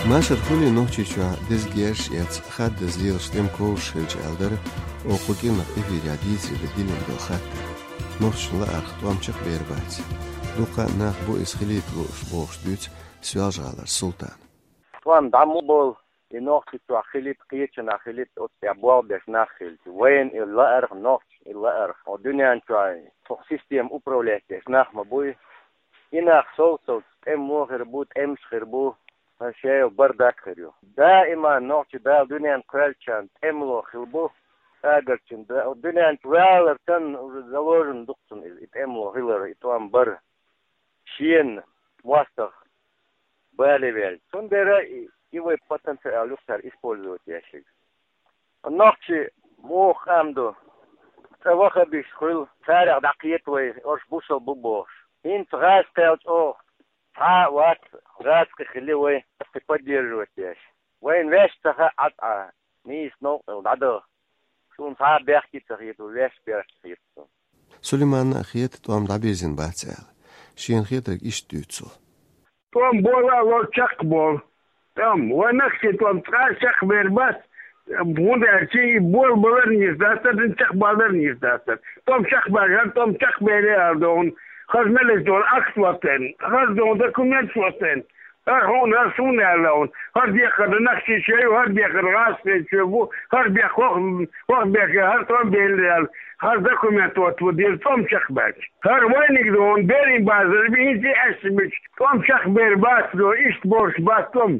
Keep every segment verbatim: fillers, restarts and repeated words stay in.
Машар хуьлий Нохчийчохь деза герзаш эца, хаддаза лелаш тӀеман ковшаш хилча аьлла дара, оха кху кӀиранах эфирехь дийцаре дан диллина долу хаттар. Нохчашна лаарх тӀом чекхбер бац. Дуккха а нах бу иза хилийта лууш, бохуш дуьйцу Соьлжа-ГӀалара Султана. ТӀом дӀа ма болу, и Нохчийчохь хилийта, кхечанхьа хилийта, оцу тӀехь болх беш нах хилча. Вайна и лаарх, нохчашна и лаарх. Хьо дуьнен чохь тхо система управлять деш нах ма буй. И нах сов-совца тӀемало хир бу, тӀемаш хир бу, хан шайо бардак хир ю. Даима нохчи Дала дуьнен кхоьллинчарна тӀемало хила бу, агарчун да-, дуьнен чу валар санна, уже заложено ду-кх цунна иза, и тӀемало хилар, и тӀом бар. Шена мостагӀа бале ваьлла. Цундела и, и вай потенциал ю-кх цара использовать еш ерг. Нохчий муха къам ду, цкъа ваххабиташ хуьлу, царах дӀакхета вай, уьш бусалба бу бохуш. ХӀинца гӀазкхи кхел чӀогӀа цхьа а вац, гӀазкхи хили вай, гӀазкхи поддерживать деш. Вайна ваьш ца хаьа Ӏа цкъа, нийса новкъа дӀадаха. Суна цхьа а бехке ца хета, ваьш бехке хета суна. Сулейманна а хета тӀом дӀабирзина бац аьлла. Шена хетарг иштта дуьйцу цо. ТӀом бола а ло, чекхболу. ТӀом, вайн нохчийн тӀом цкъа а чекхбер бац, хӀунда аьлча и болабалар а нийса дац, чекхбалар а нийса дац. ТӀом чекхбаьлча, хӀара тӀом чекхбелира аьлла догӀу, хаза меллаша догӀу акт вац вайн, хаза догӀу документаш вац вайн. ХӀара хьуна, хӀара суна аьлла вайн. ХӀара дехар нохчийн чоь ю, хӀара дехар гӀазкхийн чоь бу, хӀара бехк хӀокху, хӀокху бехке хӀара тӀом белира аьлла, хӀара документ оттаван деза тӀом чекхбаьлча. ХӀара вайниг догӀу, берийн базар бу, хӀинца и аьшпаш бича, тӀом чекхбер бац догӀу, иштта бохуш бац тӀом.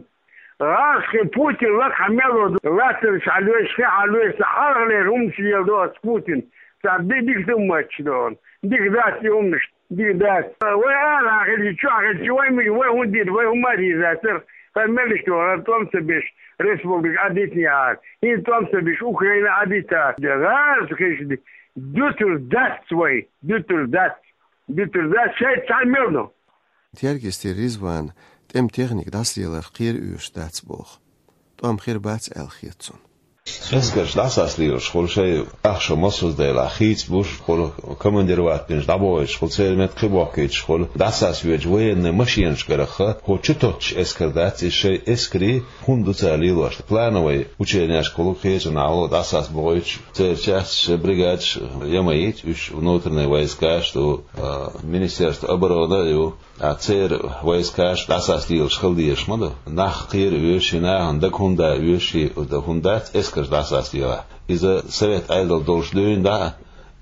ГӀазкхийн Путин лакхахь мел ву, латтарш хьалоьцуш, хи хьалоьцуш, хьалхалера хӀуманаш леладо оцу Путина. Цхьа ди-, дика ду моьттуш догӀу. Дика дац и хӀуманаш. Дика дац. Вай арахь хилча, чохь хилча, вай ма-, вай хӀун дийр, вай хӀума а дийр дац, хӀара меллаша догӀу, хӀара тӀом ца беш, республика Ӏадитинехьара. ХӀинца тӀом ца беш, Украина Ӏадитахьара. ГӀазкхашна дуьтур дац вай, дуьтур дац, дуьтур дац, шайца цхьаьна мел ду. Тергистера Ризвана тӀеман техника дӀасалеларх кхера оьшуш дац боху. ТӀом хир бац аьлла хета цунна. Эскарш дӀасалелаш хуьлу шайн ахча массо а делахь хийцабуш хуьлу, командировать бинчу дӀабохуьйтуш хуьлу, церан метта кхин бохкуьйтуш хуьлу, дӀасалелачу военный машинашкарахха, хӀу чу тоттуш эскар дац, иза шайн эскарий хӀунда ду цара лелош. Плановый ученешкахула кхечанхьа дӀасалелаш бохуьйтуш, церан часташ, бригадаш ямайта, уьш внутренний войскаш ду, а, Министерство обороны а ю. А церан войскаш дӀасалелаш хила дезаш ма ду. Нах кхера оьшуш, нахана дага хӀунда оьшуш, хӀунда дац эскарш дӀасалелахь. Иза совет Ӏедал долуш дуьйна дӀа а,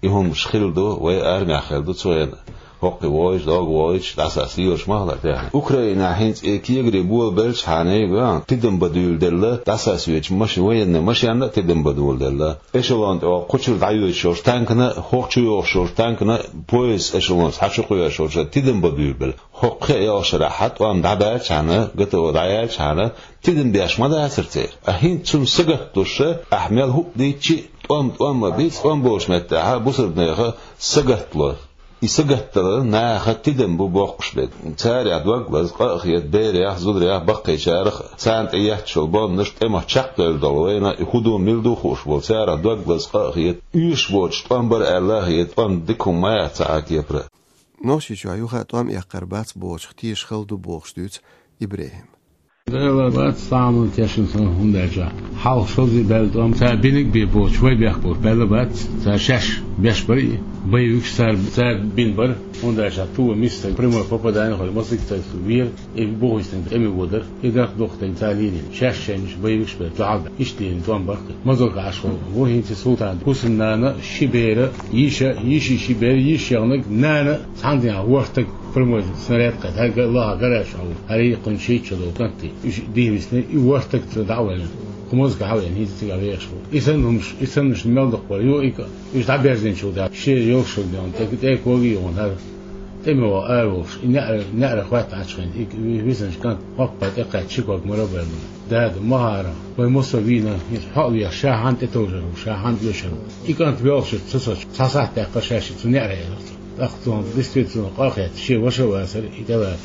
и хӀуманаш хилла ду, вай армехь хилла ду цу хенахь. ХӀокху вогӀуш, догӀу вогӀуш, дӀасалелаш ма хилла тӀехь. Украинехь хӀинца и кегари болабелчхьана, тидам бан дуьйладелла, дӀасалелачу маши-, военный машенна а тидам бан дуьйладелла. Эшелон тӀе кху чуьра дӀайоьдуш йолчу танкана, хӀокху чу йогӀуш йолчу танкана, поезд эшелонца хьан чу кхоьруш йолчу тидам бан дуьйладелла. ХӀокху кхин а йолчу шарахь хьан тӀом дӀабаьлчхьана, ГТО дӀаяьлчхьана, тидам беш ма дацара церан. А хӀинца цунна сагатдеш, ахь мел хӀуъа дийцча а, тӀом тӀом а бийца, тӀом болчу меттехь бусалбанеха сагатдало. И сагатдалар наха тидам бу боккхуш бен. Царах дог лаза, къа а хета берех, зударех, баккхийчарах, царна тӀеетташ йолу бомбанаш тӀемах чекхдевлла долу вайна, и хӀун ду, мила ду хууш болу, царах дог лаза, къа а хета, оьшуш боцуш тӀом бара аьлла а хета, тӀом дика хӀума ма яц цхьа а кепара. Нохчийчохь юха а тӀом эккхар бац бохучух теша хала ду бохуш дуьйцу ИбрахӀима. Дела бац, цхьа а хӀума тешна сан, хӀунда аьлча хьалха шозза баьлла тӀом, цара бинарг а бен боцуш, вай бехк боцуш баьлла бац, цара шаьш беш бара и, боевикаш цара, цара бина бара, хӀунда аьлча ту а миска стаг, прямой попадание хуьлу, масийтта стаг вера, и бухахь стаг тӀеме воьдура, и дарх духу стаг цара лелийна, шаьш шайнаш боевикаш бен дуьхьал бен, иштта лелийна тӀом бара-кх. Мазалка Ӏаш ву хӀинца Султан, хӀусамнана, ши бер, йиша, йиши ши бер, йиша яханарг, нана, цхьана дийнахь ворхӀ стаг прямой снаряд кхетта, хӀара лаха гараж хьо ву, хӀара йиккхина шийтта шо долу кӀант, уьш дийна висна, и ворхӀ стаг ца дӀа а ваьлла. Кху маза кахь а веана, хӀинца цига вехаш ву. И санна хӀумаш, и саннаш мел дукха бара ю, и ка-, уьш дӀаберзийначул тӀаьхьа, шен йолуш хилла деана, тӀе-, тӀе коги а йогӀун хӀара. ТӀеме ваха ара волуш, и неӀара, неӀара хӀоттахьачхьана, и висанчу кӀант хӀокху пай тӀекхаьчча ши ког мара а баьлла. Дада, ма хӀара, вай массо а вийна, иза хьо а веха, ша хьанна тӀетовжар ву, ша хьанна оьшар ву. И кӀант воьлхуш ца соцуш, цхьа сахьт даьккхира ша шиъ цу неӀаре элира. ТӀаккха цунах действительно къа а хетта, шен ваша а вацара, и тӀелаца.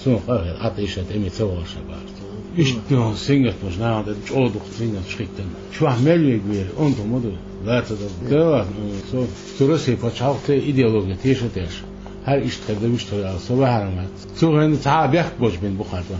Цунах къа а хетта, Ӏа тӀе иштта тӀеме ца вахара ша бахара. Иштта сингаттамаш нахана тӀе чӀогӀа дукха сингаттамаш хӀиттина. Чохь мел вега вера, онда хӀума ду, лаца дан. Дела, со, со Россия пачхьалкх те идеология теша а теш. ХӀара иштта хир дан, вуьшта хир ала, со ваьхьара ма вац. Цу хенахь цхьа а бехк боцуш бина бу кхарна.